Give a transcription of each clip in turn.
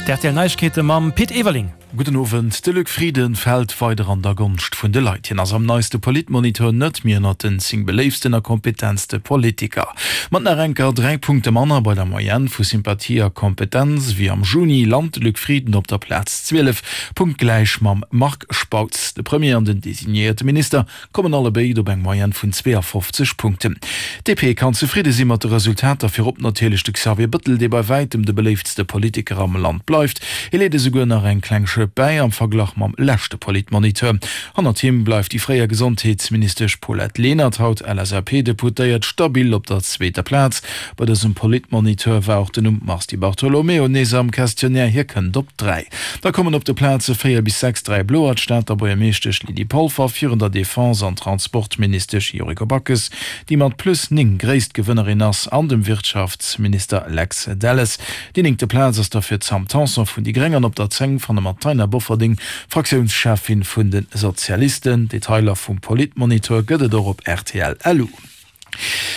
D'RTL Neiegkeete mam Pit Everling. Gudden Owend. De Luc Frieden fält weider an der Gonscht vun de Leit. Hien ass am neiste Politmonitor net méi ënnert den 10 beléiftsten a kompetentste Politiker. Mat nach enker 3 Punkte manner bei der Moyenne vu Sympathie a Kompetenz wéi am Juni, lant de Luc Frieden op der Plaz 12, punktgläich mam Marc Spautz. De Premier an den designéierte Minister kommen allebéid op eng Moyenne vun 52 Punkten. D'DP kann zefridde si mat de Resultater, virop natierlech de Xavier Bëttel, dee bei wäitem de beléiftste Politiker am Land bleift. Hie leet esouguer nach eng kleng Schëpp bäi am Verglach mam leschte Politmoniteur. Hannert him bleift déi fréier Gesondheetsministesch Paulette Lenert, haut LSAP-Deputéiert, stabil op der zweeter Plaz. Bei dësem Politmoniteur war och den Numm Mars Di Bartolomeo nees am Questionnaire, hie kënnt op 3. Da kommen op de Plaze 4 bis 6 dräi Bloer, d'Stater Buergermeeschtesch Lydie Polfer virun der Defense an Transportministesch Yuriko Backes, déi mat plus 9 gréisst Gewënnerin ass, an dem Wirtschaftsminister Lex Delles. Déi néngte Plaz ass da fir d'Sam Tanson vun déi Gréng an op der 10 fanne mer d'Taina Bofferding, Fraktiounscheffin vun de Sozialisten. Detailer vum Politmonitor gëtt et och op rtl. Lu.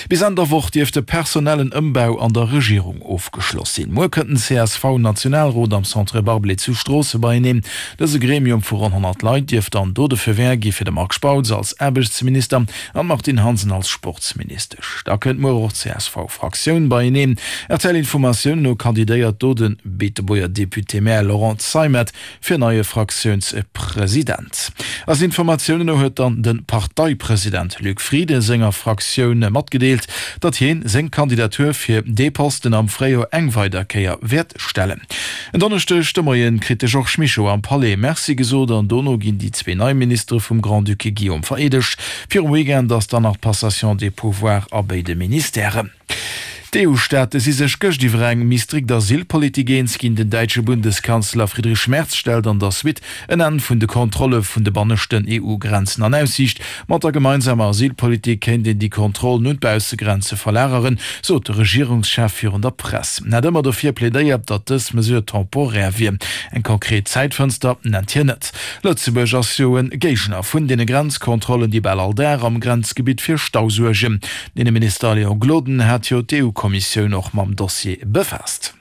Bis Enn der Woch dierft de personellen Ëmbau an der Regierung ofgeschloss sinn. Muer kënnt den CSV-Nationalrot am Centre Barblé zu Stroosse beieneen. Dëse Gremium vu ronn 100 Leit dierft dann do de Feu vert gi fir de Marc Spautz als Aarbechtsminister an d'Martine Hansen als Sportsministesch. Da kënnt muer och d'CSV-Fraktioun beieneen. RTL-Informatiounen no kandidéiert do de Beetebuerger Député-Maire Laurent Zeimet fir neie Fraktiounspresident. Eisen Informatiounen no huet dann de Parteipresident Luc Frieden senger Fraktioun matgedeelt, datt hien seng Kandidatur fir dee Posten am Fréijoer eng weider Kéier wäert stellen. En Donneschdeg de Moien kritt de Georges Mischo am Palais Merci gesot an dono ginn déi zwee nei Ministere vum Grand-Duc Guillaume vereedegt. Virum Weekend ass dann nach d'Passation des pouvoirs a béide Ministèren. D'EU-Staate si sech gëscht iwwer eng méi strikt Asylpolitik eens ginn. Den däitsche Bundeskanzler Friedrich Merz stellt an der Suite en Enn vun de Kontrolle vun de banneschten EU-Grenzen an Aussiicht. Mat der gemeinsamer Asylpolitik kéint een déi Kontrollen un d'Baussegrenze verlageren, sot de Regierungschef virun der Press. En hat ëmmer dofir plädéiert, datt dës Mesure temporär wier. Eng konkret Zäitfënster nennt hien net. Lëtzebuerg ass jo e Géigner vun deene Grenzkontrollen, déi bal all Dag am Grenzgebitt fir Stau suergen. Den Inneminister Léon Gloden hat jo d'EU-Kommissioun och mam Dossier befaasst.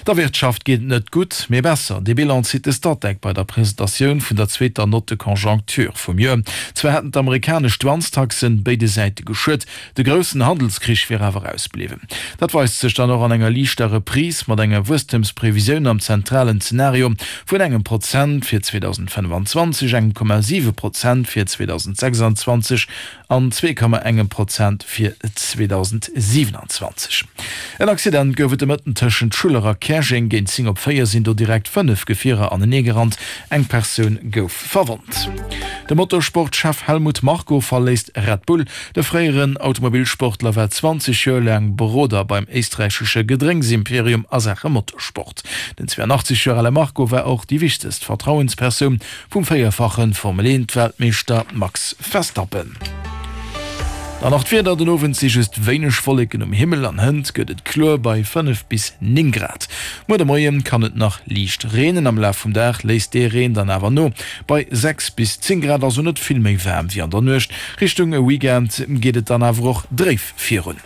Der Wirtschaft geet et net gutt, mee besser. Dee Bilan zitt de Statec bei der Presentatioun vun der zweeter Note de conjoncture vum Joer. Zwar hätten d'amerikanesch Douanestaxen béide Säite geschuet, de groussen Handelskrich wier awer ausbliwwen. Dat weist sech dann och an enger liichter Reprise mat enger Wuesstemsprevisioun am zentralen Zenario vun engem Prozent fir 2025, engem Komma 7 Prozent fir 2026 an 2,1 Prozent fir 2027. En Accident gouf et de Mëtten tëschent Schuller a Käerjeng. Géint 10 op 4 sinn do direkt 5 Gefierer aneneegerannt. Eng Persoun gouf verwonnt. De Motorsport-Chef Helmut Marko verléisst Red Bull. De fréieren Automobilsportler war 20 Joer laang Beroder beim éisträichesche Gedrénksimperium a Saache Motorsport. Den 82 Joer ale Marko war och déi wichtegst Vertrauenspersoun Vum véierfache Formel 1 Weltmeeschter Max Verstappen. Dann nach d'Wieder, Den Owend si just wéineg Wolleken um Himmel an hënt gëtt et kloer bei 5 bis 9 Grad. Muer de Moie kann et nach liicht reenen, am Laf vum Dag léisst dee Reen dann awer no bei 6 bis 10 Grad, also net vill méi waarm wéi an der Nuecht. Richtung Weekend geet et dann awer och dréif virun.